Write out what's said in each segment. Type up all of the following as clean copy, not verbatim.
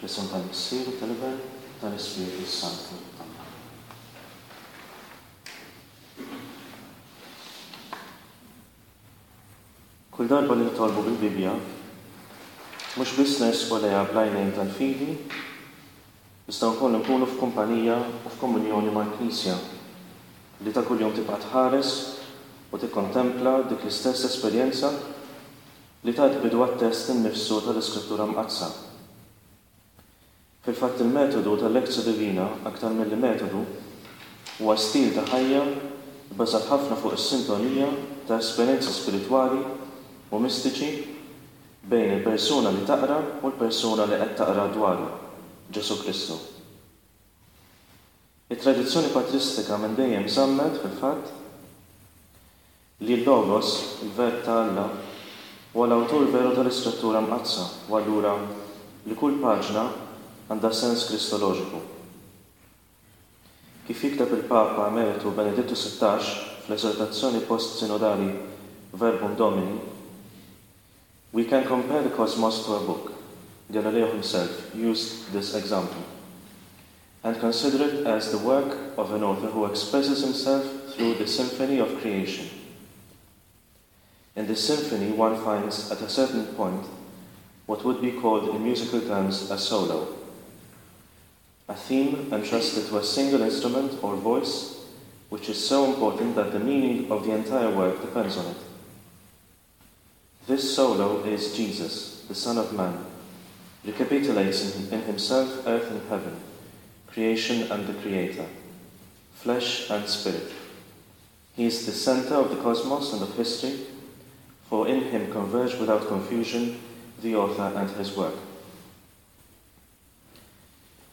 Fl-isem tal-Missier u tal-Iben u tal-Ispirtu s-Santu. Amen. Kull darba li nitolbu bil-Bibbja, mhux biss nersqu lejha bl-għajnejn tal-fidi, iżda wkoll inkunu f'kumpanija u f'komunjoni mal-Knisja, li ta' kuljum tibqa' tħares u tikkontempla dik l-istess esperjenza li tat bidu għat-test innifsu tal-Iskrittura Mqaddsa. Fil-fatt il-metodu tal-Lectio Divina, aktar milli metodu, huwa stil ta' ħajja bbażat ħafna fuq is-sintonija ta' esperjenzi spiritwali u mistiċi bejn il-persuna li taqra u l-persuna li qed taqra dwaru, Ġesù Kristu. It-tradizzjoni patristika minn dejjem żammet, fil-fatt, Li l-Logos, il-Verb ta' Alla, huwa l-awtur veru tal-Iskrittura Mqaddsa u allura li kull paġna għandha sens kristoloġiku. Kif jikteb il-Papa Emeritu Benedittu 16 fl-eżortazzjoni post-sinodali Verbum Domini, We can compare the cosmos to a book. Galileo himself used this example and consider it as the work of an author who expresses himself through the symphony of creation. In this symphony one finds at a certain point what would be called in musical terms a solo, a theme entrusted to a single instrument or voice which is so important that the meaning of the entire work depends on it. This solo is Jesus, the Son of Man, recapitulates in himself earth and heaven, creation and the Creator, flesh and spirit. He is the center of the cosmos and of history, for in him converge without confusion the author and his work.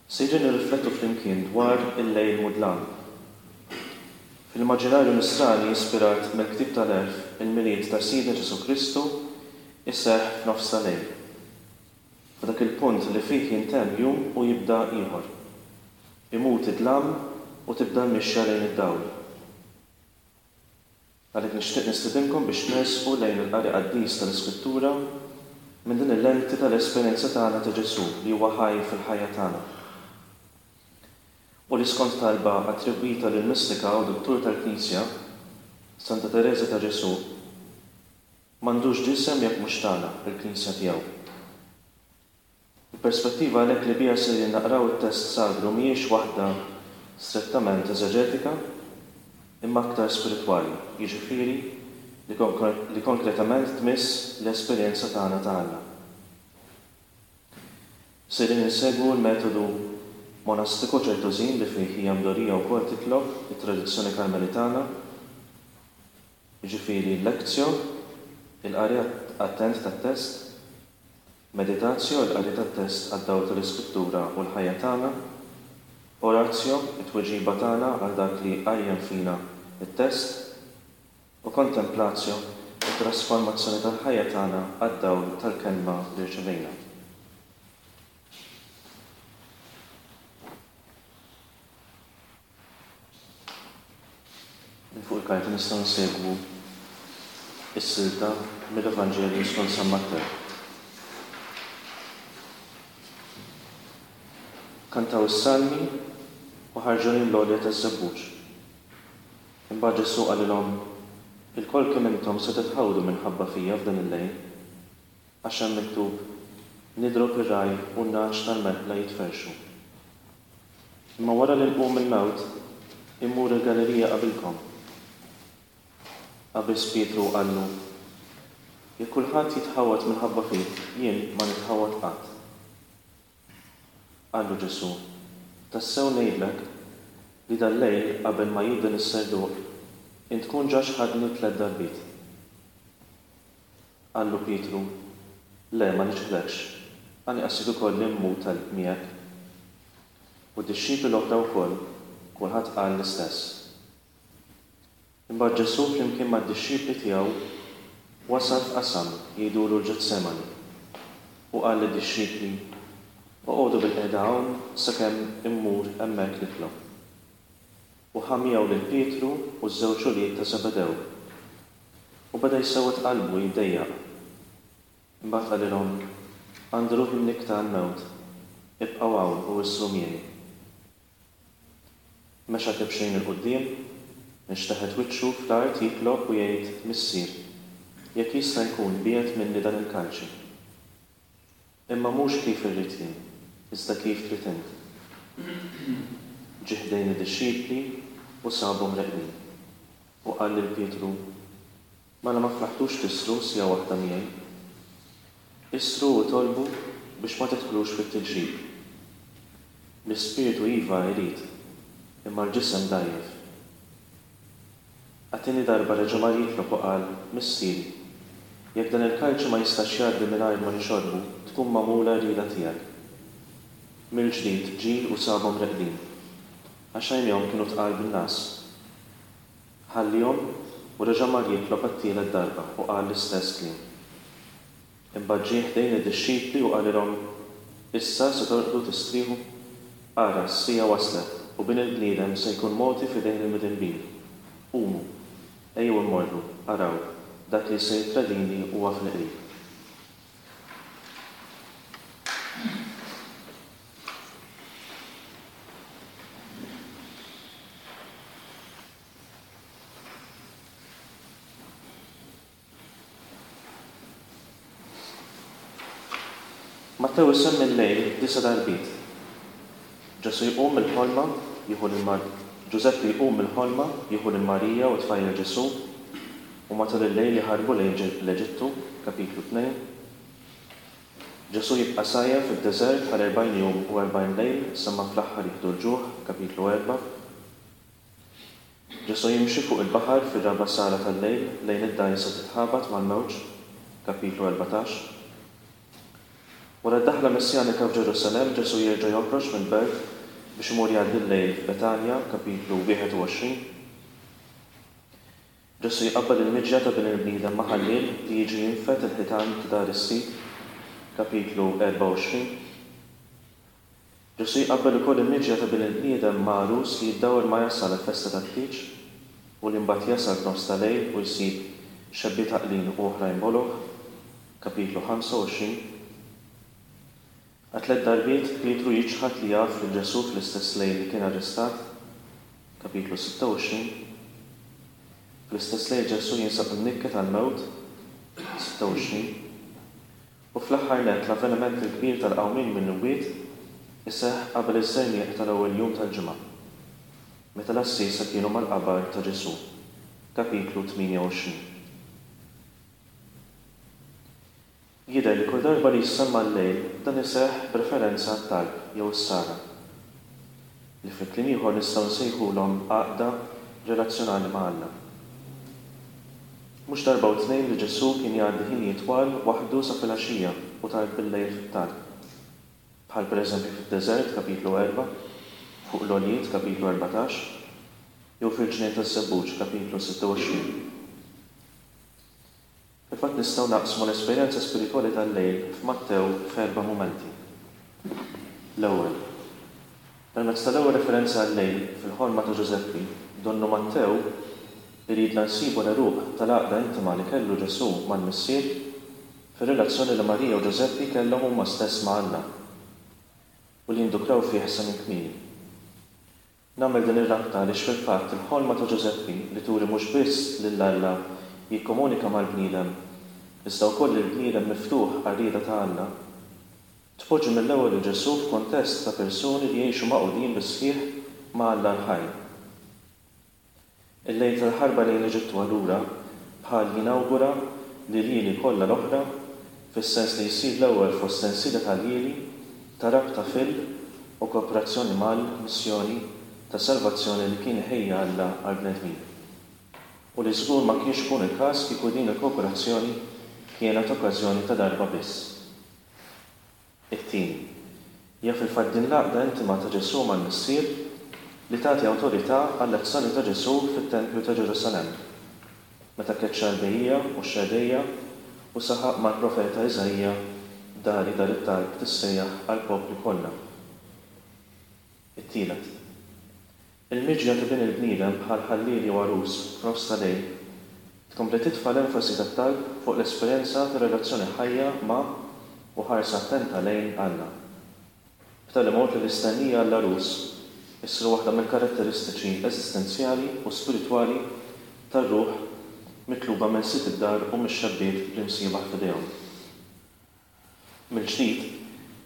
Sejrin nirriflettu flimkien dwar il-lejl mudlam. Fil-immaġinarju Nisrani ispirat mill-Ktieb tal-Għerf, il-Milied ta' Sidna Ġesù Kristu jseħħ f'nofs ta' lejl. F'dak il-punt li fih jintemm jum u jibda ieħor. Imut id-dlam u tibda l-mixja lejn id-dawl. Għalhekk nixtieq nistedinkom biex nersqu lejn il-qari qaddis tal-Iskrittura minn din il-lenti tal-esperjenza tagħna ta' Ġesù li huwa ħaj fil-ħajja tagħna. U li skont talba attribwita lill-mistika u duttur tal-Knisja, Santa Tereża ta' Ġesù, m'għandux ġisem jekk mhux tagħna, il-Knisja tiegħu. Il-perspettiva għalhekk li biha sejrin naqraw it-test sagru mhijiex waħda strettament eżeġetika, imma aktar spiritwali, jiġifieri li konkretament tmiss l-esperjenza tagħna ta' Alla. Sejrin insegwu l-metodu monastiku ċertożin li fih hija mdorrija wkoll titlob it-tradizzjoni Karmelitana, jiġifieri l-lectio, il-qari attent tat-test, Meditatio, il-qari tat-test għad-dawl tal-Iskrittura u l-ħajja tagħna. Oratio, it-tweġiba tagħna għal dak li jqajjem fina t-test. U Contemplatio, it-trasformazzjoni tal-ħajja tagħna għad-dawl tal-Kelma li rċevejna. Minn fuq il-karta nistgħu nsegwu s-silta mill-Evanġelju skont San Mattew. Kantaw is-salmi u ħarġu lejn l-għolja taż-Żebbuġ. Imbagħad Ġesù qalilhom, Ilkoll kemm intom se titħawdu minħabba fija f'dan il-lejl, għax hemm miktub, 'Nidrob ir-ragħaj u n-nagħaġ tal-merħla jitferrxu. Imma wara li nqum mill-mewt, immur il-Galilija qabilkom. Qabeż Pietru u qallu, Jekk kulħadd jitħawwad minħabba fik, jien ma nitħawwad qatt. Qallu Ġesù, Tassew ngħidlek li dal-lejl qabel ma jidden is-serduq, int tkun ġa xħadni tlett darbiet. Qallu Pietru, Le, ma niċħdekx, anqas jekk ikolli mmut miegħek. U d-dixxipli l-oħra wkoll, kulħadd qal l-istess. Imbagħad Ġesù flimkien mad-dixxipli tiegħu wasal f'qasam jgħidulu l-Ġetsemani, u qal lid-dixxipli, Oqogħdu bilqiegħda hawn sakemm immur hemmhekk nitlob. U ħa miegħu lil Pietru u ż-żewġ ulied ta' Żebedew. U beda jsewwed qalbu u jiddejjaq. Imbagħad qalilhom, Għandi ruħi mnikkta għall-mewt. Ibqgħu hawn u issru miegħi. Mexa kemxejn 'il quddiem, inxteħet wiċċu fl-art jitlob u jgħid, Missier, jekk jista' jkun biegħed minni dan il-kalċi. Imma mhux kif irrid jien, iżda kif trid int. Ġie ħdejn id-dixxipli u sabhom reqdin, u qal lil Pietru, Mela ma flaħtux tissru siegħa waħda miegħi? Issru u itolbu biex ma tidħlux fit-tiġrib. L-ispirtu iva irid, imma l-ġisem dgħajjef. Għat-tieni darba reġa' mar jitlob u qal, Missieri, jekk dan il-kalċi ma jistax jgħaddi mingħajr ma nixorbu, tkun magħmula r-rieda tiegħek. Mill-ġdid ġie u sabhom reqdin, għax għajnejhom kienu tqal bin-ngħas. Ħalliehom u reġa' mar jitlob għat-tielet darba u qal l-istess kliem. Imbagħad ġie ħdejn id-dixxipli u qalilhom, Issa se torqdu tistrieħu? Ara, s-siegħa waslet, u Bin il-bniedem se jkun mogħti f'idejn il-midinbin. Qumu, ejjew immorru, araw, dak li se jittradini huwa fil-qrib. Mattew isemmi l-lejl disa' darbiet. Ġesù jqum mill-ħolma, jieħu lil Mar Ġużeppi jqum mill-ħolma, jieħu lil Marija u t-tfajjel Ġesù, u matul il-lejl jaħarbu lejn l-Eġittu, kapitlu 2. Ġesù jibqa' sajjem fid-deżert għal 40 jum u 40 lejl sa ma fl-aħħar jieħdu l-ġuħ, kapitlu 4. Ġesù jimxi fuq il-baħar fir-raba' sala tal-lejl lejn id-dgħajsa titħabat mal-mewġ, kapitlu 14. Wara d-daħla messjanika f'Ġerusalemm, Ġesù jerġa' joħroġ mill-belt biex imur jgħaddi l-lejl f'Betanja, kapitlu 21. Ġesù jqabbel il-miġja ta' Bin il-bniedem ma' ħalliel li jiġi jinfed il-ħitan ta' dar is-sid, kapitlu 24. Ġesù jqabbel ukoll il-miġja ta' Bin il-bniedem ma' għarus li jiddawwar ma jasal għall-festa tat-tieġ u li mbagħad jasal f'nofs ta' lejl u jsib xebbiet għaqlin u oħrajn boloh, kapitlu 25. Għal tlett darbiet Pietru jiċħad li jaf lil Ġesù fl-istess lejl li kien arrestat, kapitlu 26. Fl-istess lejl Ġesù jinsab imnikket għall-mewt, 26. U fl-aħħar nett l-avveniment il-kbir tal-qawmien mill-imwiet iseħħ qabel iż-żerniq tal-ewwel jum tal-ġimgħa, meta l-għassiesa kienu mal-qabar ta' Ġesù, kapitlu 28. Jidher li kull darba li jissemma l-lejl dan iseħħ b'referenza għat-talb jew is-sara, li fi kliem ieħor nistgħu nsejħulhom għaqda relazzjonali ma' Alla. Mhux darba u tnejn li Ġesù kien jgħaddi ħinijiet twal waħdu sa filgħaxija u tard billejl fit-talb. Bħal pereżempju fid-deżert, kapitlu 4, fuq l-għoljiet, kapitlu 14, jew fil-ġnien taż-żebbuġ, kapitlu 26. Fil-fatt nistgħu naqsmu l-esperjenza spiritwali tal-lejl f'Mattew f'erba' mumenti. L-ewwel, permezz tal-ewwel referenza għal-lejl fil-ħolma ta' Ġużeppi, donnu Mattew iridna nsibu l-għeruq tal-għaqda intima li kellu Ġesù mal-Missier fir-relazzjoni li Marija u Ġużeppi kellhom huma stess ma' Alla u li jindukraw fih sa minn kmieni. Nagħmel din ir-rabta għaliex fil-fatt il-ħolma ta' Ġużeppi li turi mhux biss lil Alla jikkomunika mal-bniedem, iżda wkoll lill-bniedem miftuħ għar-rieda ta' Alla, tpoġġi mill-ewwel lil Ġesù f'kuntest ta' persuni li jgħixu magħqudin bis-sħiħ ma' Alla l-ħaj. Il-lejl tal-ħarba lejn l-Eġittu allura bħal jinawgura l-iljieli kollha l-oħra fis-sens li jsir l-ewwel fost sensiela ta' ljieli ta' rabta fil u kooperazzjoni mal missjoni ta' salvazzjoni li kien ħejja Alla għall-bnedmin. U li żgur ma kienx ikun il-każ kieku din il-kooperazzjoni kienet okkażjoni ta' darba biss. It-tieni, hija fil-fatt din l-għaqda intima ta' Ġesù mal-Missier li tagħti awtorità għall-azzjoni ta' Ġesù fit-tempju ta' Ġerusalemm, meta keċċa l-bejjiegħa u x-xerrejja u saħaq mal-profeta Iżaija, Dari dar it-talb tissejjaħ għall-popli kollha. It-tielet. Il-miġja ta' Bin il-bniedem bħal ħalliel jew għarus f'nofs ta' lejl tkompli titfa' l-enfasi tat-talb fuq l-esperjenza ta' relazzjoni ħajja ma' u ħarsa attenta lejn Alla. B'tali mod li l-istennija għall-għarus issir waħda mill-karatteristiċi eżistenzjali u spiritwali tar-ruħ mitluba minn sid id-dar u mix-xebbiet bl-imsiebaħ f'idejhom. Mill-ġdid,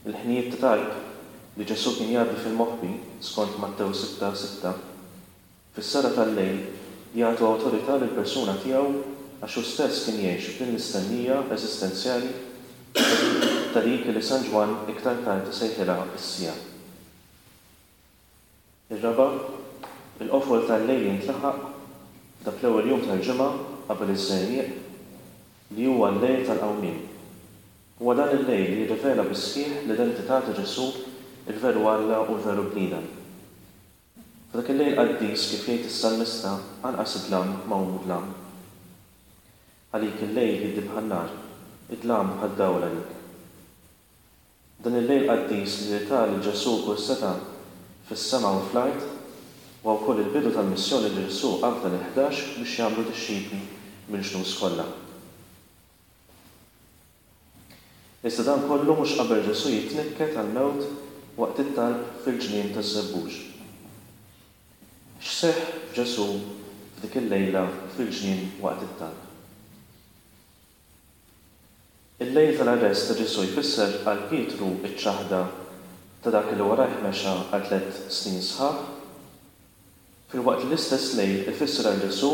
il-ħinijiet ta' talb li Ġesù kien jgħaddi fil-moħbi, skont Mattew 6, 6, fis-sara tal-lejl jagħtu awtorità lill-persuna tiegħu għax hu stess kien jgħix f'din l-istennija eżistenzjali ta' dik li San Ġwann iktar tard isejħilha s-siegħa. Ir-raba', il-qofol tal-lejl jintlaħaq f'dak l-ewwel jum tal-ġimgħa qabel iż-żerniq, li huwa l-lejl tal-qawmien. Huwa dan il-lejl li jirrivela bis-sħiħ l-identità ta' Ġesù, il-veru Alla u l-veru bniedem. F'dak il-lejl qaddis, kif jgħid is-salmista, anqas id-dlam ma hu mudlam. Għalik il-lejl jiddi bħan-nar, id-dlam bħad-dawl għalik. Dan il-lejl qaddis li ta lil Ġesù kull setgħa fis-sema u fl-art, huwa wkoll il-bidu tal-missjoni li Ġesù afda lill-ħdax biex jagħmlu dixxipli mill-ġnus kollha. Iżda dan kollu mhux qabel Ġesù jitnikket għall-mewt waqt it-talb fil-ġnien taż-Żebbuġ. X'seħħ f'Ġesù f'dik il-lejla fil-ġnien waqt it-talb? Il-lejl tal-arrest ta' Ġesù jfisser għal Pietru ċ-ċaħda ta' dak li warajh mexa għal tlett snin sħaħ. Filwaqt li l-istess lejl ifisser għal Ġesù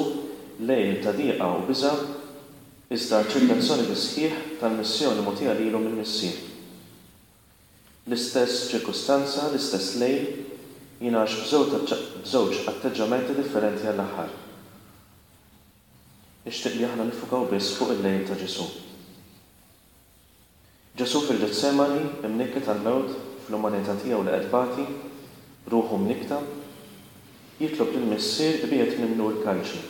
lejl ta' diqa u biża', iżda aċċettazzjoni bis-sħiħ tal-missjoni mogħtija lilu mill-Missier. L-istess ċirkustanza, l-istess lejl, jingħax b'żewġ atteġġamenti differenti għall-aħħar. Nixtieq li aħna niffukaw biss fuq il-lejl ta' Ġesù. Ġesù fil-Ġetsemani, imnikket għall-mewt fl-umanità tiegħu li qed tbati, ruħu mnikkta, jitlob lill-Missier ibiegħed minnu l-kalċi.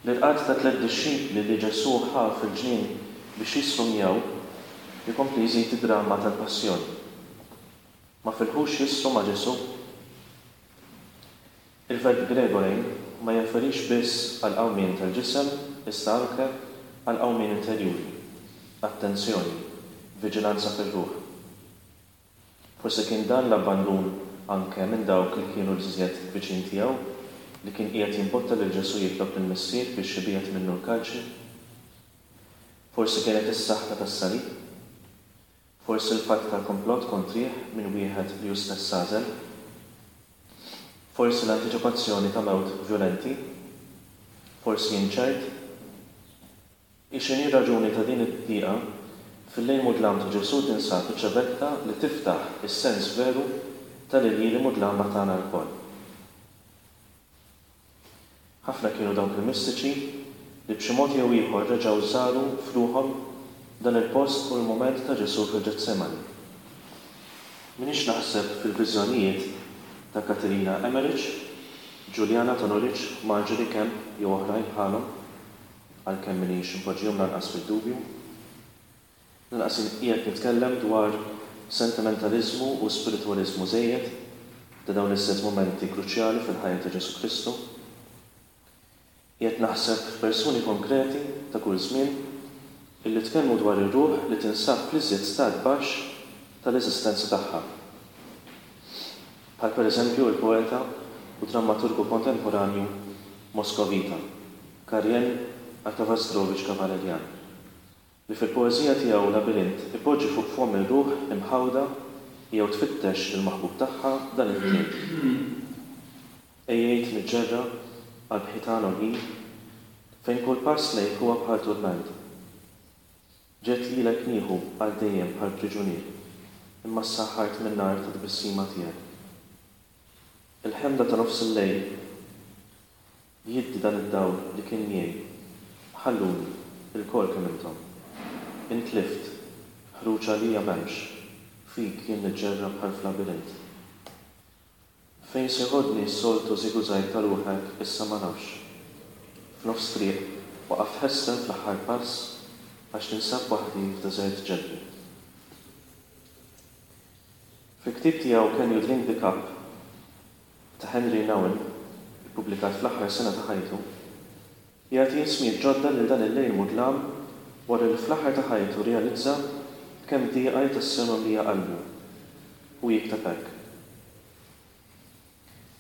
L-irqad ta' tlett dixxipli li Ġesù ħa fil-ġnien biex jisħru miegħu jkompli jżid id-dramma tal-passjoni. Ma filħux jisħru ma' Ġesù? Il-verb gregorein ma jirreferix biss għall-qawmien tal-ġisem iżda anke għall-qawmien interjuri, attenzjoni, viġilanza fir-ruħ. Forsi kien dan l-abbandun anke minn dawk li kienu l-iżjed viċin tiegħu li kien qiegħed jimbotta lil Ġesù jitlob lill-Missier biex ibiegħed minnu l-kalċi? Forsi kienet is-saħta tas-salib? Forsi l-fatt tal-komplott kontrih minn wieħed li hu stess għażel? Forsi l-antiċipazzjoni ta' mewt vjolenti? Forsi inċert? Hi x'inhi r-raġuni ta' din id-diqa, fil-lejl mudlam ta' Ġesù tinsab iċ-ċavetta li tiftaħ is-sens veru tal-iljieli mudlama tagħna lkoll. Ħafna kienu dawk il-mistiċi li b'xi mod jew ieħor reġgħu żaru f'ruħhom dan il-post u l-mument ta' Ġesù fil-Ġetsemani. M'iniex naħseb fil-viżjonijiet ta' Katerina Emmerich, Juliana ta' Norwich, Marjorie Kemp jew oħrajn bħalhom, għalkemm m'iniex inpoġġihom lanqas fid-dubju. Lanqas jien qiegħed nitkellem dwar sentimentaliżmu u spiritwaliżmu żejjed ta' dawn iż-żewġ mumenti kruċjali fil-ħajja ta' Ġesù Kristu. Qiegħed naħseb f'persuni konkreti ta' kull żmien illi tkellmu dwar ir-ruħ li tinsab fl-iżjed stat baxx tal-eżistenza tagħha. Bħal pereżempju l-poeta u drammaturgu kontemporanju Moskovita, Karien Artavazdrovich Kavalerian. Li fil-poeżija tiegħu Labirint ipoġġi fuq fomm ir-ruħ imħawda jew tfittex lill-maħbub tagħha dan il-kliem, Għejjejt niġġerra qalb ħitan għoljin Fejn kull pass lejk huwa bħal turment. Ġejt lilek nieħu għal dejjem bħal priġunier Imma ssaħħart min-nar tat-tbissima tiegħek. Il-ħemda ta' nofs il-lejl Jiddi dan id-dawl li kien miegħi. Ħalluni, ilkoll kemm intom. Intlift, ħruġ għalija m'hemmx, fik jien niġġerra bħal f'labirint. Fejn se jħodni s-soltu żigużajg ta' ruħek issa ma nafx. F'nofs triq waqaft ħesrem fl-aħħar pass għax ninsab waħdi f'deżert ġebli. Fil-ktieb tiegħu Can You Drink the Cup? ta' Henri Nouwen, ippubblikat fl-aħħar sena ta' ħajtu, jagħti ismijiet ġodda lil dan il-lejl mudlam wara li fl-aħħar ta' ħajtu rrealizza b'kemm dieqa hi tassew mimlija qalbu. Hu jikteb hekk,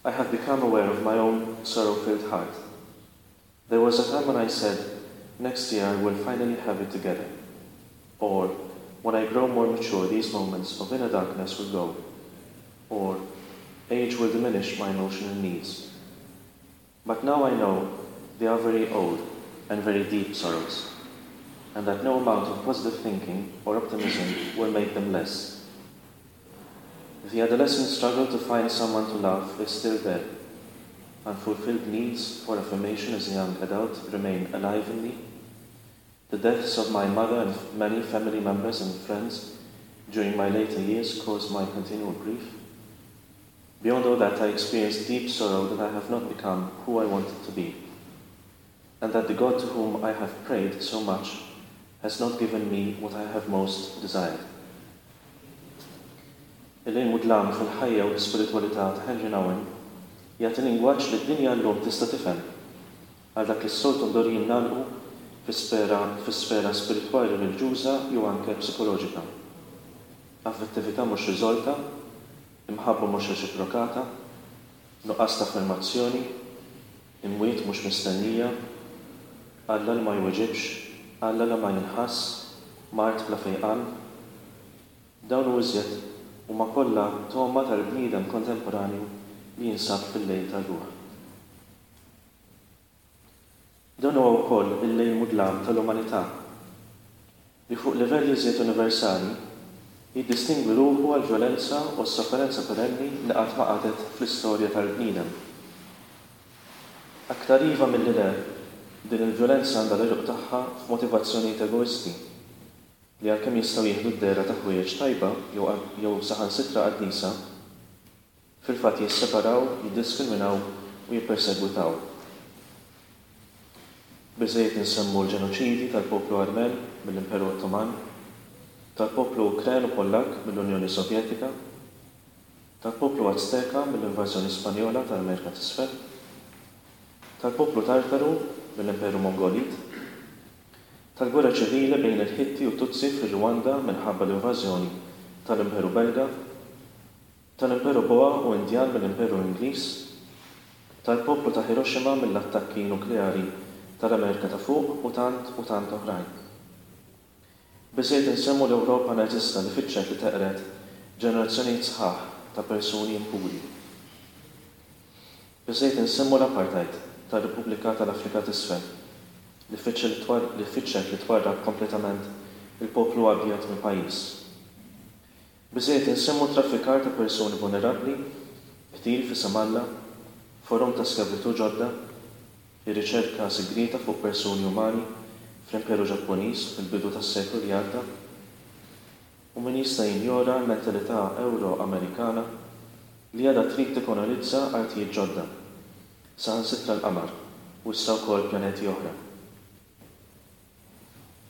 I have become aware of my own sorrow-filled heart. There was a time when I said, next year I will finally have it together. Or, when I grow more mature, these moments of inner darkness will go. Or, age will diminish my emotional needs. But now I know they are very old and very deep sorrows, and that no amount of positive thinking or optimism will make them less. The adolescent struggle to find someone to love is still there. Unfulfilled needs for affirmation as a young adult remain alive in me. The deaths of my mother and many family members and friends during my later years caused my continual grief. Beyond all that, I experienced deep sorrow that I have not become who I wanted to be, and that the God to whom I have prayed so much has not given me what I have most desired. Il-lejl mudlam fil-ħajja u l-ispiritwalità ta' Henri Nouwen jagħti lingwaġġ li d-dinja llum tista' tifhem għal dak li s-soltu mdorrijin nagħlqu fi sfera fi sfera spiritwali reliġjuża jew anke psikoloġika. Affettività mhux riżolta, imħabba mhux reċiprokata, nuqqas ta' affermazzjoni, imwiet mhux mistennija, Alla li ma jweġibx, Alla li ma jinħass, mard bla fejqan. Dawn u iżjed huma kollha togħma tal-bniedem kontemporanju li jinsab fil-lejl tar-ruħ. Dan huwa wkoll il-lejl mudlam tal-umanità, li fuq livell iżjed universali jiddistingwi ruħu għall-vjolenza u s-sofferenza perenni li qatt ma qagħdet fl-istorja tal-bniedem. Aktar iva milli le, din il-vjolenza għandha l-għeruq tagħha f'motivazzjonijiet egoisti, li għalkemm jistgħu jieħdu d-dehra ta' ħwejjeġ tajba jew jew saħansitra qaddisa, fil-fatt jisseparaw, jiddiskriminaw u jippersegwitaw. Biżżejjed insemmu l-ġenoċidji tal-poplu Armen mill-Imperu Ottoman, tal-poplu Ukren u Pollakk mill-Unjoni Sovjetika, tal-poplu Azteka mill-invażjoni Spanjola tal-Amerika t'Isfel, tal-poplu Tartaru mill-Imperu Mongolit, tal-gwerra ċivili bejn il-Ħitti u t-Tutsi fir-Rwanda minħabba l-invażjoni tal-Imperu Belga, tal-Imperu Boa u Indjan mill-Imperu Ingliż, tal-poplu ta' Hiroshima mill-attakki nukleari tal-Amerika ta' Fuq u tant u tant oħrajn. Biżżejjed insemmu l-Ewropa Nażista li fittxet li teqred ġenerazzjonijiet sħaħ ta' persuni impuri. Biżżejjed insemmu l-apartheid tar-Repubblika tal-Afrika t'Isfel li fittxet li twarrab kompletament il-poplu abjad mill-pajjiż. Biżżejjed insemmu t-traffikar ta' persuni vulnerabbli, qtil f'isem Alla, forom ta' skjavitù ġodda, ir-riċerka sigrieta fuq persuni umani fl-Imperu Ġappuniż fil-bidu tas-seklu li għadda. U min jista' jinjora l-mentalità Ewro-Amerikana li għadha trid tikkolonizza artijiet ġodda, saħansitra l-qamar u issa wkoll pjaneti oħra?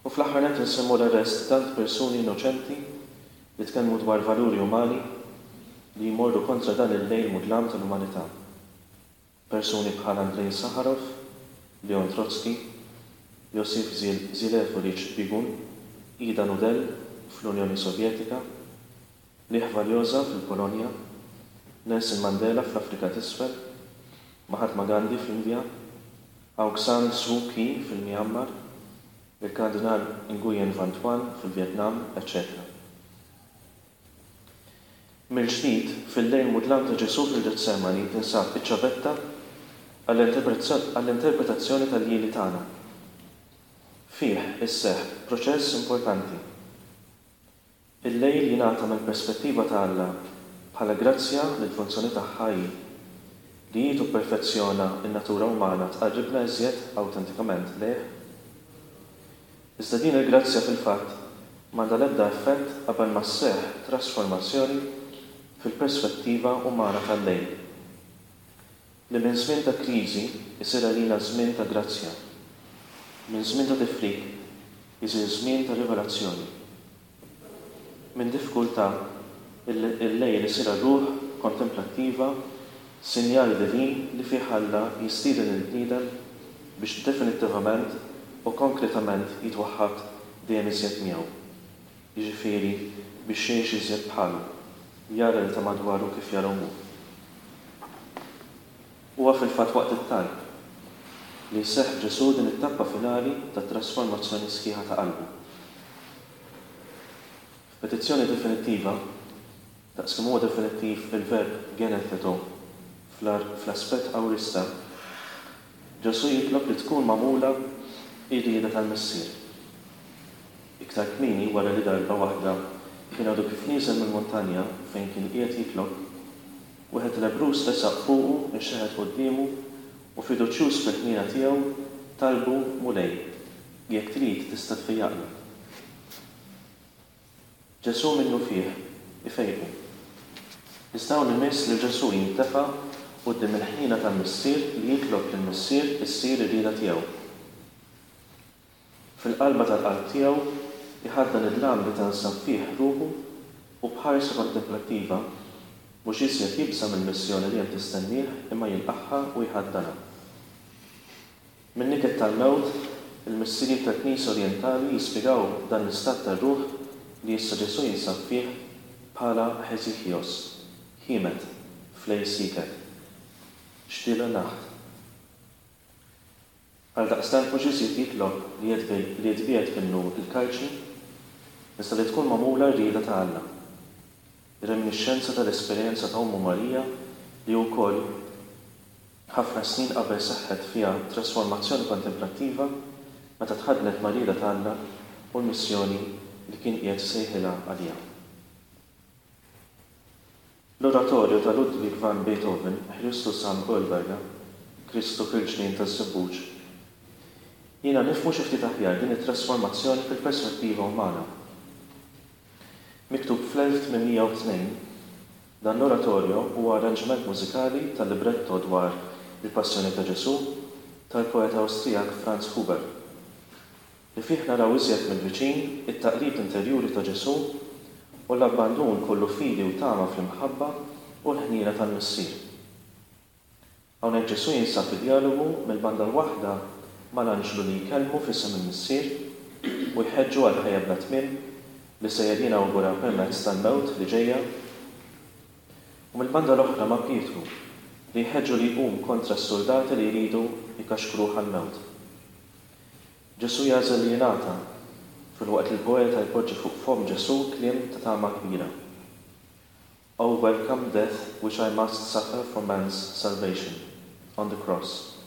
U fl-aħħar nett insemmu l-arrest ta' tant persuni innoċenti li tkellmu dwar valuri umani li jmorru kontra dan il-lejl mudlam tal-umanità. Persuni bħal Andrei Sakharov, Leon Trotsky, Josif Zilevoric Bigun, Ida Nudel fl-Unjoni Sovjetika, Lech Walesa fil-Polonja, Nelson Mandela fl-Afrika t'Isfel, Mahatma Gandhi fl-Indja, Aung San Suu Kyi fil-Myanmar, il-Kardinal Nguyen Van Thuan fil-Vjetnam, eċċetera Mill-ġdid, fil-lejl mudlam ta' Ġesù fil-Ġetsemani tinsab iċ-ċavetta għall-interpretazzjoni tal-ljieli tagħna. Fih isseħħ proċess importanti. Il-lejl jingħata mill-perspettiva ta' Alla bħala grazzja li l-funzjoni tagħha hi li hi tupperfezzjona n-natura umana tqarribna iżjed awtentikament lejh. Iżda din il-grazzja fil-fatt m'għandha l-ebda effett qabel ma sseħħ trasformazzjoni fil-perspettiva umana tal-lejl, li minn żmien ta' kriżi jsir għalina żmien ta' grazzja, minn żmien ta' tifrik isir żmien ta' rivelazzjoni. Minn diffikultà, il-lejl isir għar-ruħ kontemplattiva sinjal divin li fih Alla jistieden lill-bniedem biex definittivament u konkretament jitwaħħad dejjem iżjed miegħu, jiġifieri biex jgħix iżjed bħalu. jara lil ta' madwaru kif jarahom hu. Huwa fil-fatt waqt it-talb li jseħħ f'Ġesù din it-tappa finali tat-trasformazzjoni sħiħa ta' qalbu. F'petizzjoni definittiva, daqs kemm huwa definittiv il-verb genetheto fl-aspett awrista, Ġesù jitlob li tkun magħmula r-rieda tal-Missier. Iktar kmieni, wara li darba waħda kien għadu kif nieżel mill-muntanja fejn kien qiegħed jitlob, wieħed lebbruż resaq fuqu, inxeħet quddiemu, u fiduċjuż fil-ħniena tiegħu, talbu, Mulej, jekk trid tista' tfejjaqni. Ġesù minnufih ifejqu. Iżda hawn imiss lil Ġesù jintefa' quddiem il-ħniena tal-Missier li jitlob lill-Missier issir ir-rieda tiegħu. Fil-qalba tal-qalb tiegħu jħaddan id-dlam li tansab fih ruħu u b'ħarsa kontemplattiva mhux iżjed jibża' mill-missjoni li hemm tistennieh imma jilqagħha u jħaddanha. Min-niket tal-mewt, il-Missirijiet tal-Knisja Orjentali jispjegaw dan l-istat tar-ruħ li issa Ġesù jinsab fih bħala hesychios, ħiemed, flej sieket. Stille Nacht. Għaldaqstant mhux iżjed jitlob li li jitbiegħed minnu l-kalċi, iżda li tkun magħmula r-rieda ta' Alla. Reminixxenza tal-esperjenza ta' ommu Marija li wkoll ħafna snin qabel seħħet fiha trasformazzjoni kontemplattiva meta tħaddnet mar-rieda ta' Alla u l-missjoni li kien qiegħed isejħilha għaliha. L-oratorju ta' Ludwig van Beethoven, Christus am Ölberge, Kristu fil-Ġnien taż-Żebbuġ, jgħinna nifhmu xi ftit aħjar din it-trasformazzjoni fil-perspettiva umana. Miktub fl-1802, dan l-oratorio huwa arranġment mużikali tal-libretto dwar il-Passjoni ta' Ġesù tal-poeta Awstrijak Franz Huber. Li fih naraw iżjed mill-viċin it-taqlib interjuri ta' Ġesù u l-abbandun kollu fidi u tama fl-imħabba u l-ħniena tal-Missier. Hawnhekk Ġesù jinsab fi djalogu mill-banda l-waħda mal-anġlu li jkellmu f'isem il-Missier u jħeġġu għal ħajja bla tmiem li sejjer jinawgura permezz tal-mewt li ġejja, u mill-banda l-oħra ma' Pietru li jħeġġu li jqum kontra s-suldati li jridu jkaxkruh għall-mewt. Ġesù jagħżel li jingħata, filwaqt li l-poeta jpoġġi fuq fomm Ġesù kliem ta' tama kbira. O welcome death which I must suffer for man's salvation, on the cross.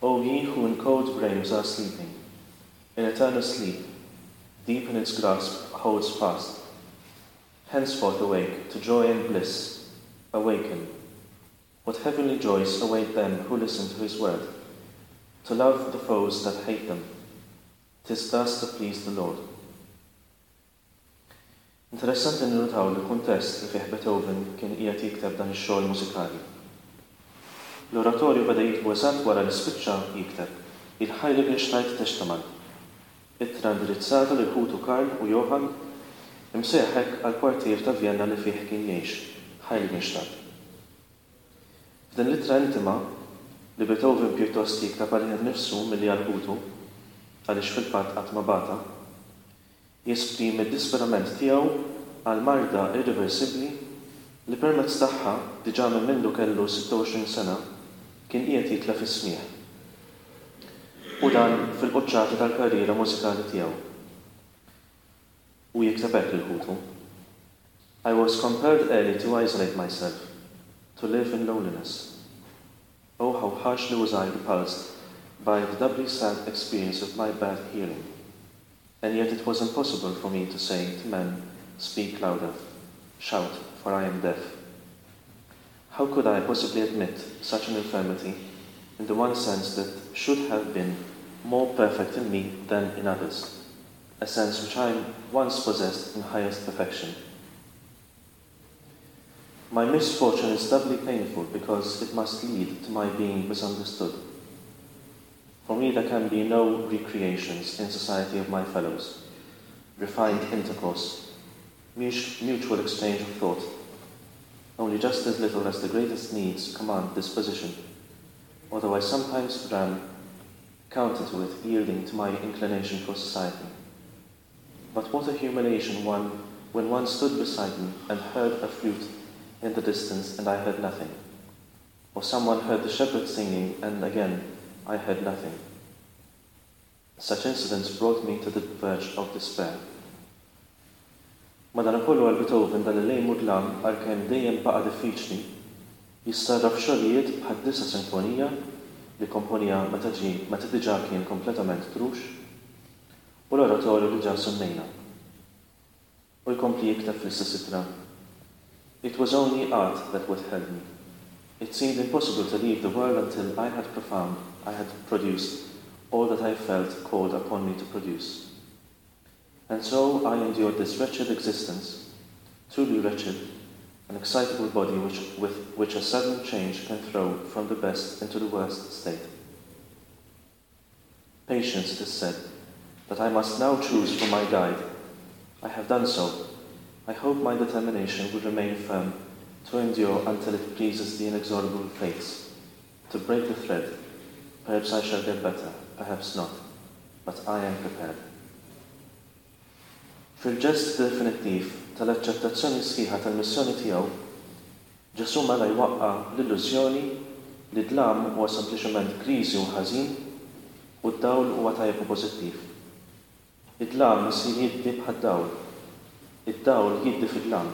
O ye who in cold graves are sleeping, in eternal sleep, deep in its grasp holds fast. Henceforth awake to joy and bliss, awaken. What heavenly joys await them who listen to his word, to love the foes that hate them. 'Tis thus to please the Lord. Interessanti ninnutaw l-kuntest li fih Beethoven kien qiegħed jikteb dan ix-xogħol mużikali. L-oratorju beda jiktbu eżatt wara li spiċċa jikteb il-Heiligenstadt Testament, ittra indirizzata lil ħutu Karl u Johann, imsejjaħ hekk għall-kwartier ta' Vjenna li fih kien jgħix, Heiligenstadt. F'din l-ittra intima, li Beethoven pjuttost jikteb għalih innifsu milli għal ħutu, għaliex fil-fatt qatt ma bagħatha, jesprimi d-disperament tiegħu għal marda irriversibbli li permezz tagħha, diġà minn mindu kellu 26 sena, kien qiegħed jitlef is-smigħ. U dan fil-quċċata tal-karriera mużikali tiegħu. Hu jikteb hekk lil ħutu, I was compelled early to isolate myself, to live in loneliness. Oh, how harshly was I repulsed by the doubly sad experience of my bad hearing. And yet it was impossible for me to say to men, Speak louder, shout, for I am deaf. How could I possibly admit such an infirmity in the one sense that should have been more perfect in me than in others, a sense which I once possessed in highest perfection? My misfortune is doubly painful because it must lead to my being misunderstood. For me there can be no recreations in society of my fellows, refined intercourse, mutual exchange of thought, only just as little as the greatest needs command this position, although I sometimes ran counter to it, yielding to my inclination for society. But what a humiliation one when one stood beside me and heard a flute in the distance and I heard nothing. Or someone heard the shepherd singing and again I heard nothing. Such incidents brought me to the verge of despair. Madanakollu għal Beethoven dan il-lejl mudlam għalkemm dejjem baqa' diffiċli, jissarraf f'xogħlijiet bħad-Disa' Sinfonija li kkomponiha meta ġie meta diġà kien kompletament trux, u l-oratorju li ġa semmejna. U jkompli jikteb fl-istess ittra, It was only art that withheld me. It seemed impossible to leave the world until I had profound, I had produced all that I felt called upon me to produce. And so I endured this wretched existence, truly wretched, an excitable body which, with which a sudden change can throw from the best into the worst state. Patience, it is said, that I must now choose for my guide. I have done so. I hope my determination will remain firm to endure until it pleases the inexorable fates, to break the thread. Perhaps I shall get better, perhaps not, but I am prepared. Fil-ġest definittiv tal-aċċettazzjoni sħiħa tal-missjoni tiegħu, Ġesù mela jwaqqa' l-illużjoni li d-dlam huwa sempliċement griżi u ħażin u d-dawl huwa tajjeb u pożittiv. Id-dlam isir jiddi bħad-dawl. Id-dawl jiddi fid-dlam.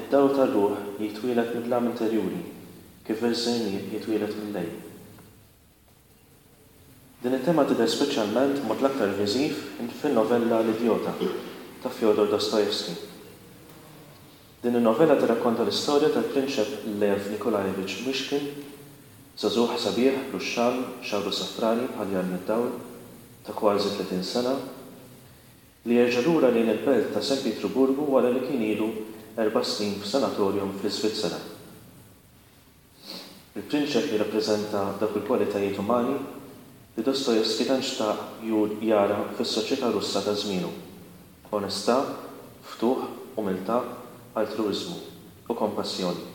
Id-dawl tar-ruħ jitwieled mid-dlam interjuri, kif iż-żerniq jitwieled mil-lejl. Din it-tema tidher speċjalment b'mod l-aktar viżiv fin-novella L-Idjota ta' Fyodor Dostoevsky. Din in-novella tirrakkonta l-istorja tal-Prinċep Lev Nikolaevich Myshkin, żagħżugħ sabiħ, ruxxan, xagħru safrani bħal jarmi d-dawl, ta' kważi 30 sena, li jerġa' lura lejn il-belt ta' San Pietruburgu wara li kien ilu erba' snin f'sanatorium fl-Iżvizzera. Il-prinċep jirrappreżenta dawk il-kwalitajiet umani li Dostoevsky tant xtaq jara fis-soċjetà Russa ta' żmienu, onestà, ftuħ, umiltà, altruwiżmu, u kompassjoni.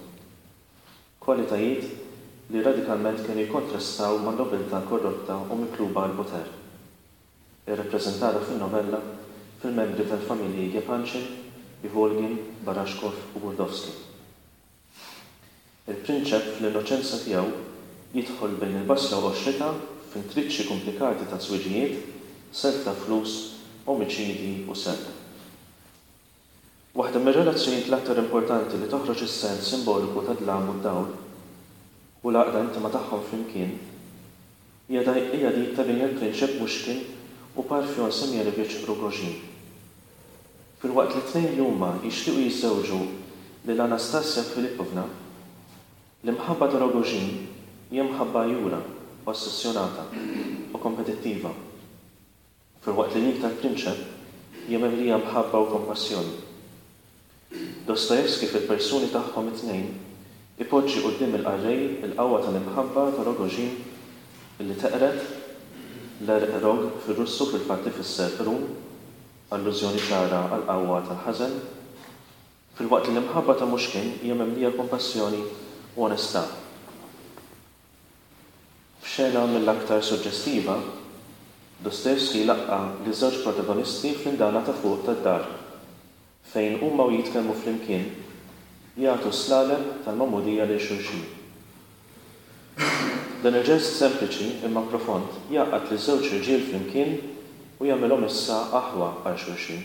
Kwalitajiet li radikalment kienu jikkontrastaw man-nobiltà korrotta u mikluba għall-poter, irrappreżentata fin-novella fil-membri tal-familji Yepanchin, Ivolgin, Barashkov u Burdovsky. Il-prinċep fl-innoċenza tiegħu jidħol bejn il-basla u qoxritha f'intriċċi komplikati ta' żwiġijiet, self ta' flus, omiċidji u serq. Waħda mir-relazzjonijiet l-aktar importanti li toħroġ is-sens simboliku tad-dlam u d-dawl, u l-għaqda intima tagħhom flimkien, hija dik ta' bejn il-prinċep Mushkin u Parfyon Semyonovich Rogozhin. Filwaqt li t-tnejn li huma jixtiequ jiżżewġu lil Anastasia Filippovna, l-imħabba ta' Rogozhin hija mħabba għajjura, ossessjonata, u kompetittiva, filwaqt li dik tal-prinċep hija mimlija mħabba u kompassjoni. Dostoevsky fil-persuni tagħhom it-tnejn ipoġġi quddiem il-qarrej il-qawwa tal-imħabba ta' Rogozhin li teqred, l-għerq rog fir-Russu fil-fatt ifisser qrun, allużjoni ċara għall-qawwa tal-ħażen, filwaqt li l-imħabba ta' Mushkin hija mimlija kompassjoni u onestà. F'xena mill-aktar suġġestiva, Dostoevsky jlaqqa' liż-żewġ protagonisti fl-indana ta' fuq tad-dar, fejn huma u jitkellmu flimkien, jagħtu s-slaleb tal-magħmudija lil xulxin. Dan il-ġest sempliċi imma profond jgħaqqad liż-żewġ irġiel flimkien u jagħmilhom issa aħwa għal xulxin.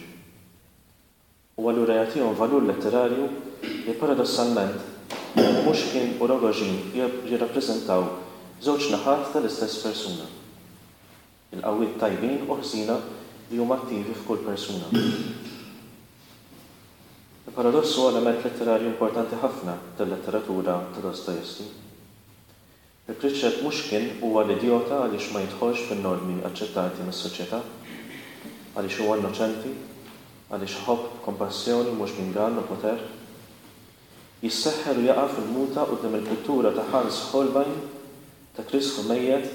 U allura jagħtihom valur letterarju li paradossalment Mushkin u Rogozhin jirrappreżentaw żewġ naħat tal-istess persuna. Il-qawwiet tajbin u ħżiena li huma attivi f'kull persuna. Il-paradoss huwa element letterarju importanti ħafna tal-letteratura ta' Dostoevsky. Il-Prinċep Mushkin huwa l-idjota għaliex ma jidħolx fin-normi aċċettati mis-soċjetà, għaliex huwa innoċenti, għaliex iħobb b'kompassjoni u mhux b'ingann u poter. Jisseħħer u jaqa' fil-muta quddiem il-pittura ta' Hans Holbein ta' Kristu mejjet,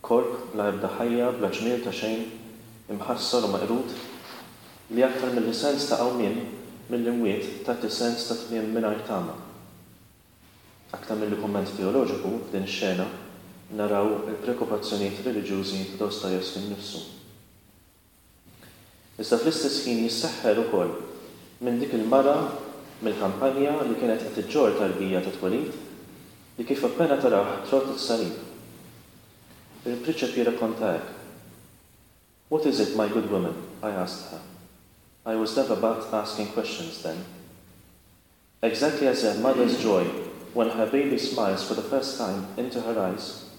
korp bla ebda ħajja, bla ġmiel ta' xejn, imħassar u meqrud, li aktar milli sens ta' qawmien mill-imwiet tagħti sens ta' tmiem mingħajr tama. Aktar milli kumment teoloġiku, f'din ix-xena naraw il-preokkupazzjonijiet reliġjużi ta' Dostoevsky nnifsu. Iżda fl-istess ħin jisseħħer ukoll minn dik il-mara mill-kampanja li kienet qed iġġorr tarbija ta' twelid li kif appena tarah trodd is-salib. Il-prinċep jirrakkonta hekk, What is it, my good woman? I asked her. I was never but asking questions then. Exactly as a mother's joy when her baby smiles for the first time into her eyes,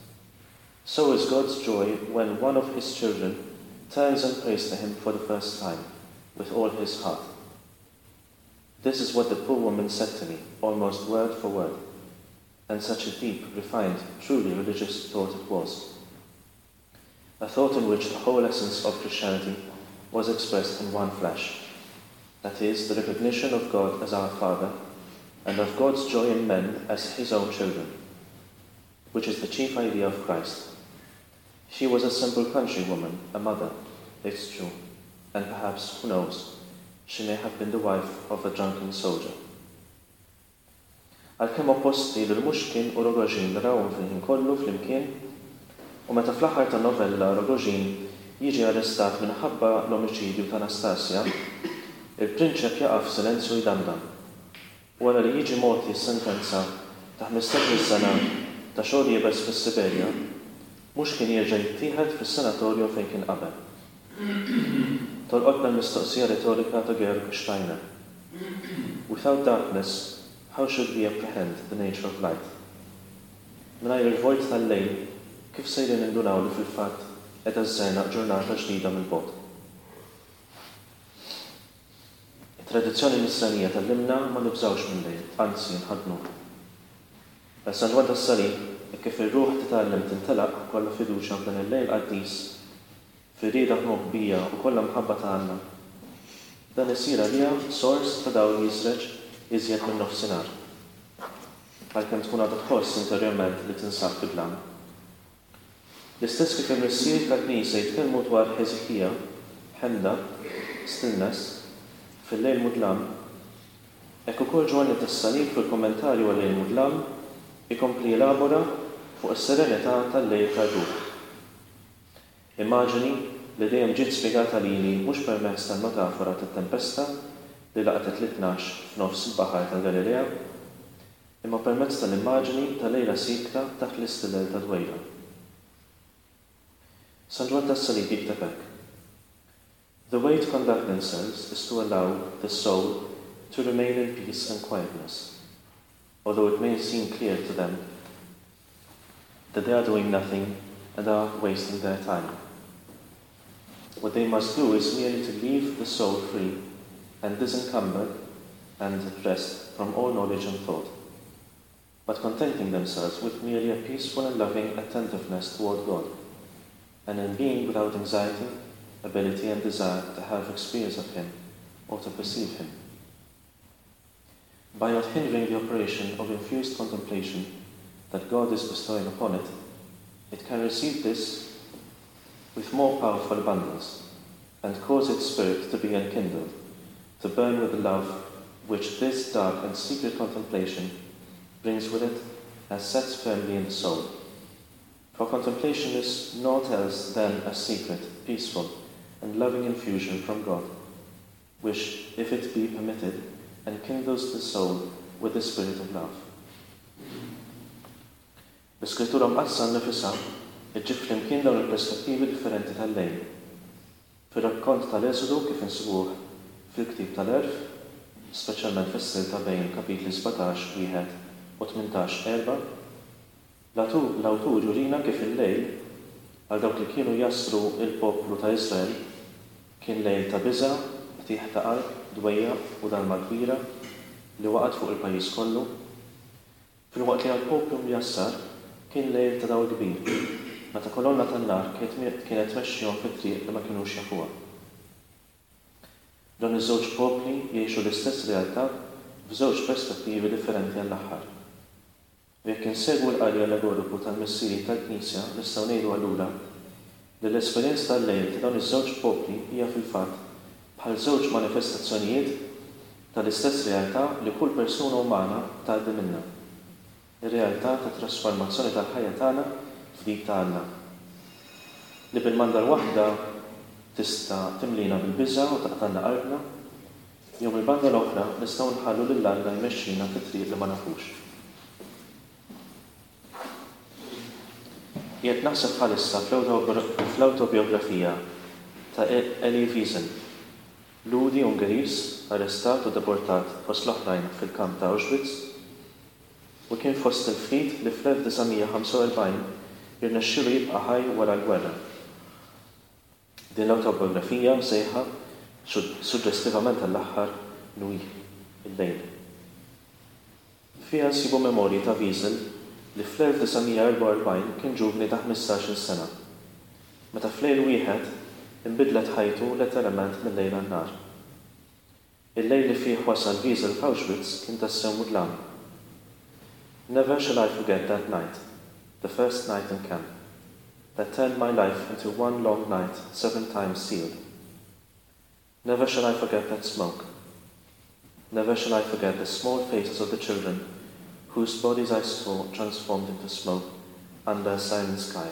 so is God's joy when one of his children turns and prays to him for the first time with all his heart. This is what the poor woman said to me, almost word for word, and such a deep, refined, truly religious thought it was. A thought in which the whole essence of Christianity was expressed in one flash. That is, the recognition of God as our Father, and of God's joy in men as his own children, which is the chief idea of Christ. She was a simple countrywoman, a mother, it's true, and perhaps, who knows, she may have been the wife of a drunken soldier. Għalkemm opposti lil Mushkin u Rogozhin narawhom fil-ħin kollu flimkien, u meta fl-aħħar tan-novella Rogozhin jiġi arrestat minħabba l-omiċidju ta' Nastasia, il-prinċep jaqa' f'silenzju jdamdam. Wara li jiġi mogħti s-sentenza ta' ħmistax-il sena ta' xogħol iebes fis-Siberja, Mushkin jerġa' jittieħed fis-sanatorium fejn kien qabel. Tolqotna l-mistoqsija retorika ta' Georg Steiner. Without darkness, how should we apprehend the nature of light? Mingħajr il-vojt tal-lejl, kif sejrin nindunaw li fil-fatt qiegħda żżernaq ġurnata ġdida mill-bogħod? It-tradizzjoni Nisranija tgħallimna ma nibżgħux mil-lejl, anzi nħaddnuh. Għal San Ġwann tas-Salib, hekk kif ir-ruħ titgħallem tintelaq kollha fiduċja f'dan il-lejl qaddis, fir-rieda moħbija u kollha mħabba ta' Alla, dan isir għaliha sors ta' dawl jiżreġ iżjed min-nofsinhar, għalkemm tkun għadha tħoss interjorment li tinsab fid-dlam. L-istess kif il-Missier tal-Knisja jitkellmu dwar ħeżikija, ħemda, stillness, fil-lejl mudlam, hekk ukoll Ġwanni tas-Salib fil-kummentarju għal-lejl mudlam ikompli jelabora fuq is-serenità tal-lejl tar-ruħ. Immaġini li dejjem ġiet spjegata lili mhux permezz tal-metafora tat-tempesta li laqtet lit-Tnax f'nofs il-Baħar tal-Galilea, imma permezz tal-immaġini ta' lejla siekta taħt l-istilel ta' dwejra. San Ġwann tas-Salib jikteb hekk, The way to conduct themselves is to allow the soul to remain in peace and quietness, although it may seem clear to them that they are doing nothing and are wasting their time. What they must do is merely to leave the soul free and disencumbered and at rest from all knowledge and thought, but contenting themselves with merely a peaceful and loving attentiveness toward God, and in being without anxiety, ability and desire to have experience of Him or to perceive Him. By not hindering the operation of infused contemplation that God is bestowing upon it, it can receive this with more powerful abundance, and cause its spirit to be enkindled, to burn with the love which this dark and secret contemplation brings with it and sets firmly in the soul. For contemplation is naught else than a secret, peaceful, and loving infusion from God, which, if it be permitted, enkindles the soul with the spirit of love. L-Iskrittura Mqaddsa nnifisha ġġib flimkien dawn il-perspettivi differenti tal-lejl. Fir-rakkont tal-Eżodu kif insibuh fil-Ktieb tal-Għerf, speċjalment fis-silta bejn kapitli 17, wieħed u 18, erbgħa, l-awtur jurina kif il-lejl, għal dawk li kienu jassru l-poplu ta' Iżrael, kien lejl ta' biża', qtigħ ta' qalb, dwejjaq u dalma kbira li waqgħet fuq il-pajjiż kollu. Filwaqt li għall-poplu mjassar kien lejl ta' dawl kbir, meta kolonna tan-nar kienet tmexxihom fi triq li ma kinux jafuha. Dawn iż-żewġ popli jgħixu l-istess realtà f'żewġ perspettivi differenti għall-aħħar. U jekk insegwu l-qari allegoriku tal-Missirijiet tal-Knisja nistgħu ngħidu allura li l-esperjenza tal-lejl ta' dawn iż-żewġ popli hija fil-fatt bħal żewġ manifestazzjonijiet tal-istess realtà li kull persuna umana tgħaddi minnha, ir-realtà tat-trasformazzjoni tal-ħajja tagħna f'dik ta' Alla, li bil-manda l-waħda tista' timlina bil-biża' u taqtgħalna qalbna. Jew mill-banda l-oħra nistgħu nħallu lil Alla jmexxina fi triq li ma nafux. Qiegħed naħseb bħalissa fl-awtobijografija ta' Elie Wiesel, Lhudi Ungeriż arrestat u deportat fost l-oħrajn fil-kamp ta' Auschwitz u kien fost il-ftit li fl-1945 irnexxielu jibqa' ħaj wara l-gwerra. Din l-awtobijografija msejħa, suġġestivament għall-aħħar, Nuit, Il-Lejl. Fiha nsibu memorji ta' Wiesel li fl-1944 kien ġuvni ta' ħmistax-il sena, meta f'lejl wieħed inbidlet ħajtu letteralment mil-lejl għan-nhar. Il-lejl li fih wasal Wiesel f'Auschwitz kien tassew mudlam. Never shall I forget that night, the first night in camp, that turned my life into one long night seven times sealed. Never shall I forget that smoke. Never shall I forget the small faces of the children whose bodies I saw transformed into smoke under a silent sky.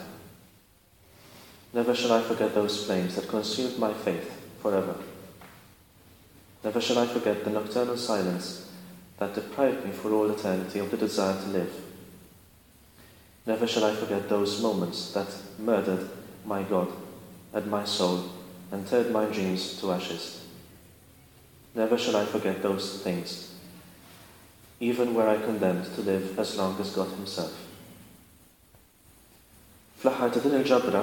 Never shall I forget those flames that consumed my faith forever. Never shall I forget the nocturnal silence that deprived me for all eternity of the desire to live. Never shall I forget those moments that murdered my God and my soul and turned my dreams to ashes. Never shall I forget those things, even were I condemned to live as long as God himself. Fl-aħħar ta' din il-ġabra,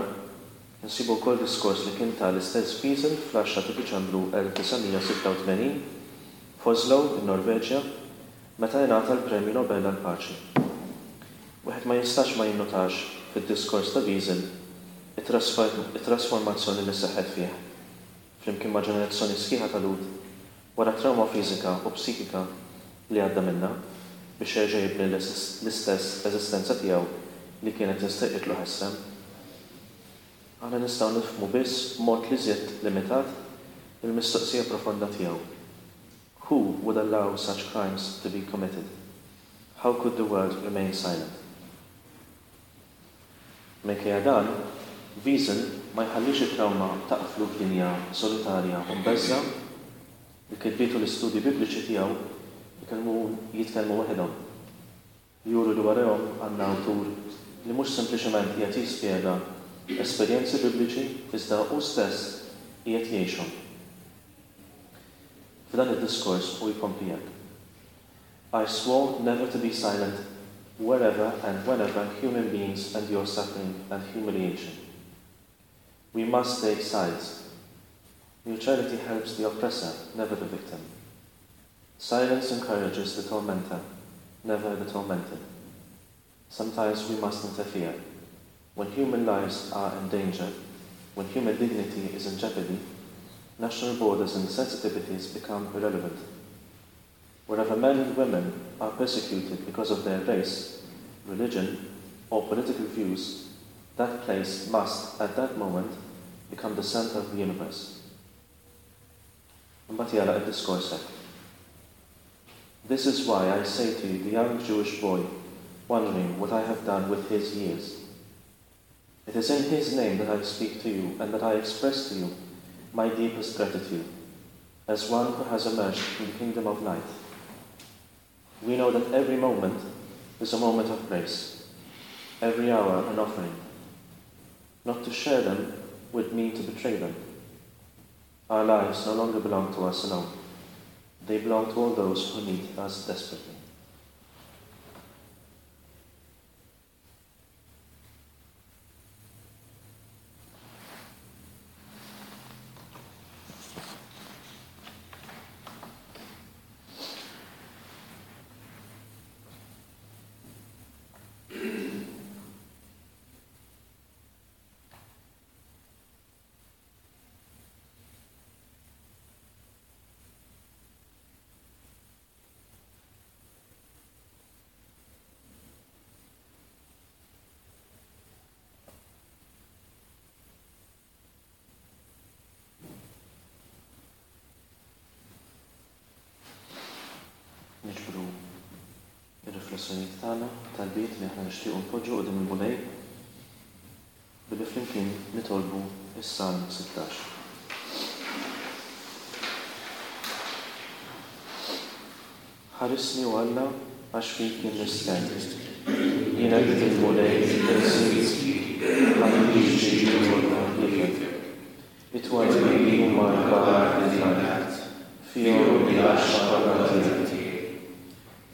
insibu wkoll diskors li kien ta l-istess Wiesel fl-10 ta' Diċembru 1986 f'Oslo, in-Norveġja, meta ingħata l-Premju Nobel għall-Paċi. Wieħed ma jistax ma jinnutax fid-diskors ta' Wiesel it-trasformazzjoni li seħħet fih, flimkien ma' ġenerazzjoni sħiħa ta' Lhud, wara t-trawma fiżika u psikika li għadda minnha, biex jerġa' jibni l-istess eżistenza tiegħu li kienet insterqitlu ħesrem. Aħna nistgħu nifhmu biss b'mod l-iżjed limitat il-mistoqsija profonda tiegħu, Who would allow such crimes to be committed? How could the world remain silent? Minkejja dan, Wiesel ma jħallix it-trawma taqflu f'dinja solitarja u mbeżżgħa. Il-kitbiet u l-istudji Bibliċi tiegħu jkellmu jitkellmu waħedhom. Juru li warajhom għandna awtur li mhux sempliċement qiegħed jispjega esperjenzi Bibliċi iżda hu stess qiegħed jgħixhom. F'dan id-diskors hu jkompli hekk, I swore never to be silent wherever and whenever human beings endure suffering and humiliation. We must take sides. Neutrality helps the oppressor, never the victim. Silence encourages the tormentor, never the tormented. Sometimes we must interfere. When human lives are in danger, when human dignity is in jeopardy, national borders and sensitivities become irrelevant. Wherever men and women are persecuted because of their race, religion, or political views, that place must, at that moment, become the center of the universe. Imbagħad jagħlaq id-diskors hekk, This is why I say to you the young Jewish boy, wondering what I have done with his years. It is in his name that I speak to you and that I express to you my deepest gratitude, as one who has emerged from the kingdom of light. We know that every moment is a moment of grace, every hour an offering. Not to share them would mean to betray them. Our lives no longer belong to us alone. They belong to all those who need us desperately. Niġbru r-riflessjonijiet tagħna, talbiet li aħna nixtiequ npoġġu quddiem il-Mulej billi flimkien nitolbu s-Salm 16. Ħarisni, o Alla, għax fik jien nistkenn. Jien għedt lill-Mulej, Il-Sid, tħallix ġidi jmur ħliefek. It-twajbin huma l-kbar lil-art, fihom hi l-għaxqa kollha tiegħi.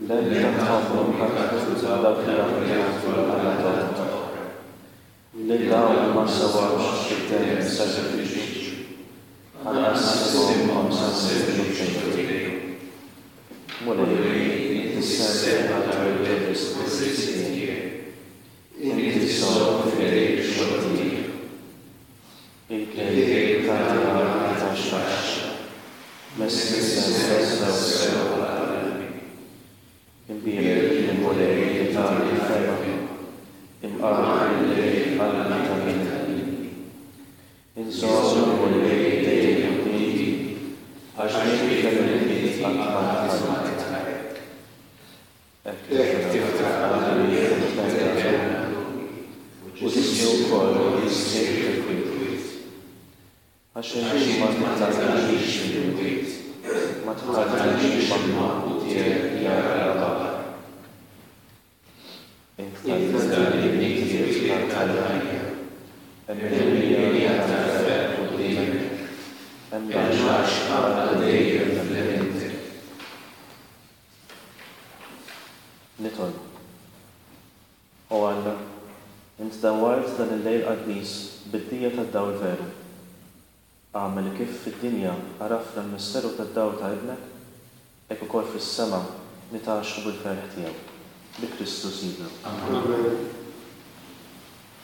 L-għerf tagħhom ikattru dawk li jaqdu allat oħra. Lil dawn ma sewawx id-demm sagrifiċċju, anqas isimhom ma semmew xufftejhom. Mulej, inti ssemmi ħatar ir-risq tiegħi. Inti ssomm f'idejk ix-xogħol tiegħi. Il-kelb tagħti ħarqa tax-xaħx. Messni s-sentenza u sew għal qalbi. Imbierek il-Mulej li tani l-fehma, imqar bil-lejl qalbi tgħinni. Inżomm il-Mulej dejjem quddiemi, għax dik kellimni qatt ma tħalli. Hekk tiftaħ qalbi u tmedda ruħi, u ġismi wkoll jistrieħ fil-kwiet. Għax inti ma titgħallix fil-kwiet, ma tħallix il-maħbub tiegħek jara l-baħar. Int tgħallimni t-triq tal-ħajja, hemm mimlija tal-ferħ quddiemek, hemm l-għaxqa għal dejjem f'lemintek. Nitolbu. O Alla, int dawwart dan il-lejl qaddis bid-dija tad-dawl veru. Agħmel li kif fid-dinja għarafna l-misteru tad-dawl ta' Ibnek, hekk ukoll fis-sema nitgħaxxqu bil-ferħ tiegħu. Bi Kristu Sidna. Amen.